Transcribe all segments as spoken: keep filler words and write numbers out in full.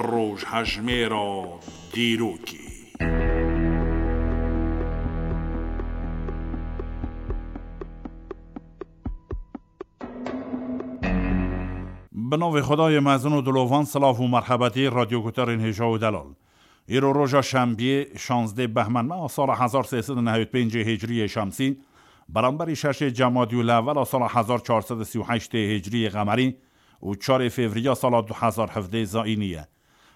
Rojhejmêra dîrokê. Bi navê Xwedayê mezin û dilovan, silav û merhebetî radyoguhdarên hêja û delal. Îro roja şembiyê, şazdeh behmên meha sala hezar sê sed û nehewî pêncê hicriyê şemsî, beramberî şeşê cemadî û lewela sala hezar çar sed û sî û heştê hicriyê qemerî û çarê fevriya sala du hezar hevdeh zayînî ye.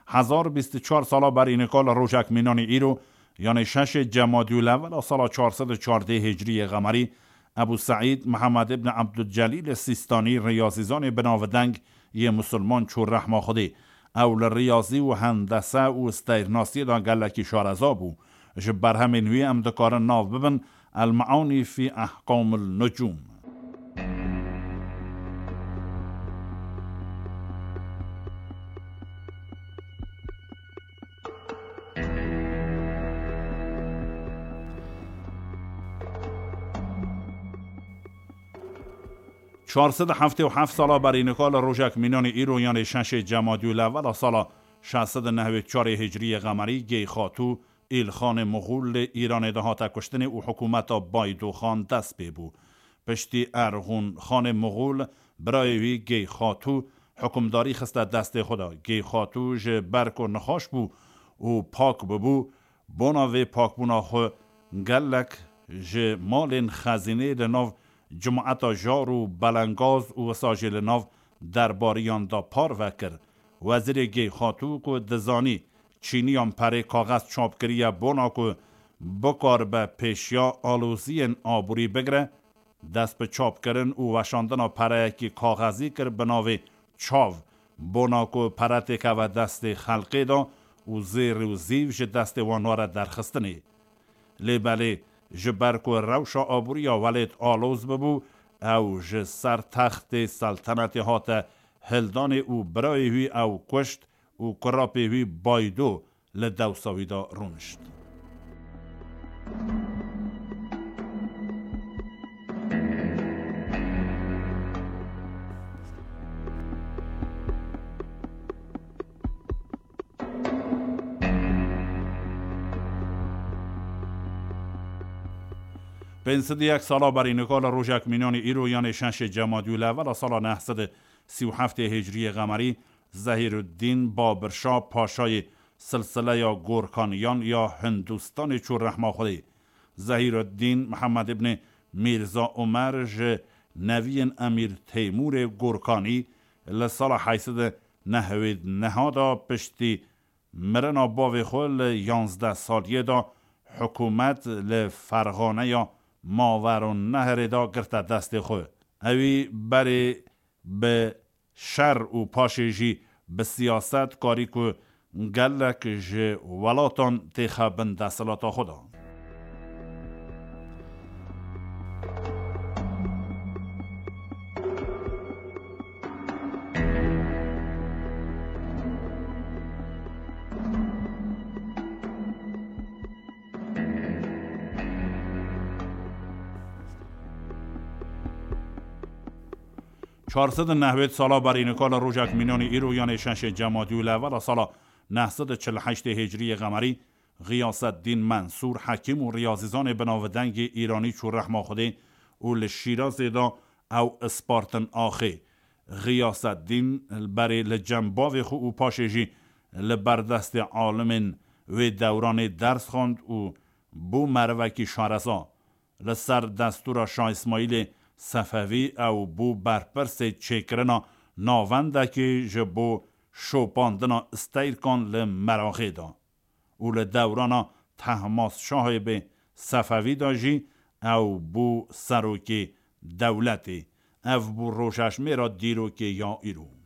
Hezar bîst û çar sala berî nika li rojek mînanî îro, yanê şeşê cemadî û lewela sala çar sed û çardeh hicriyê qemerî, Ebû Seîd Mihemed ibn Ebdulcelîl Sîstanî, riyazîzanê binavdeng yê misilman çû rehma Xwedê. Ew li riyazî û hendese û steyrnasiyê de gelekî şareza bû. Ji berhemên wî em dikarin nav bibin El-Meanî fî Ehkamil Nucûm. Çar sed û heftê û heft sala berî nika li rojek mînanî îro, yanê şeşê cemadî û lewela sala şeş sed û nehwê çarê hicriyê qemerî, Geyxatû Îlxanê Moxûl li Îranê de hate kuştinê û hikûmeta Baydoxan dest pê bû. Piştî Erxûn Xanê Moxûl, birayê wî Geyxatû hikûmdarî xiste destê xwe de. Geyxatû ji ber ku nexweş bû û pak bibû, bona vê pakbûna xwe gelek ji malên xezînê li nav cemaeta jar û belengaz û wisa jî li nav derbariyan de parve kir. Wezîrê Geyxatû ku dizanî çîniyan perê kaxez çap kiriye bona ku bikaribe pêşiya aloziyên aborî bigire, dest bi çapkirin û weşandina pereyekî kaxezî kir bi navê Çav, bona ku pere têkeve destê xelkê de û zêr û zîv ji destê wan were derxistinê. Lê belê, ji ber ku rewşa aboriya welêt aloz bibû, ew ji ser textê seltenetê hate hildanê û birayê wî ew kuşt û kurapê wî Baydo li dewsa wî de rûnişt. Pênc sed û yek sala berî nika li rojek mînanî îro, yanê şeşê cemadî û lewela sala neh sed û sî û heftê hicriyê qemerî, Zehîruddîn Babirşa, paşayê silsileya Gorkaniyan ya Hindustanê, çû rehma Xwedê. Zehîruddîn Mihemed îbnê Mîrza Omer ji neviyên Emîr Teymûrê Gorkanî li sala heyt sed û nehwêd neha de piştî mirina bavê xwe li yanzdeh saliyê de hikûmet li Ferxaneya Maverûnnehrê de girte destê xwe. Ewî berê bi şer û paşê jî bi siyaset karî ku gelek ji welatan têxe bin desthilata xwe de. Çar sed û nehwêd sala berî nika li rojek mînanî îro, yanê şeşê cemadî û lewela sala neh sed û çil û heştê hicriyê qemerî, Xiyaseddîn Mensûr, hekîm û riyazîzanê binavdengê îranî çû rehma Xwedê û li Şîrazê de ew spartin axê. Xiyaseddîn berê li cem bavê xwe û paşê jî li ber destê alimên wê dewranê ders xwend û bû merivekî şareza. Li ser destûra Şah Îsmaîlê Sefevî ew bû berpirsê çêkirina navendekê ji bo şopandina steyrkan li Meraxê de û li dewrana Tehmasşahê bê Sefevî de jî ew bû serokê dewletê. Ev bû rojejmêra dîrokê ya îro.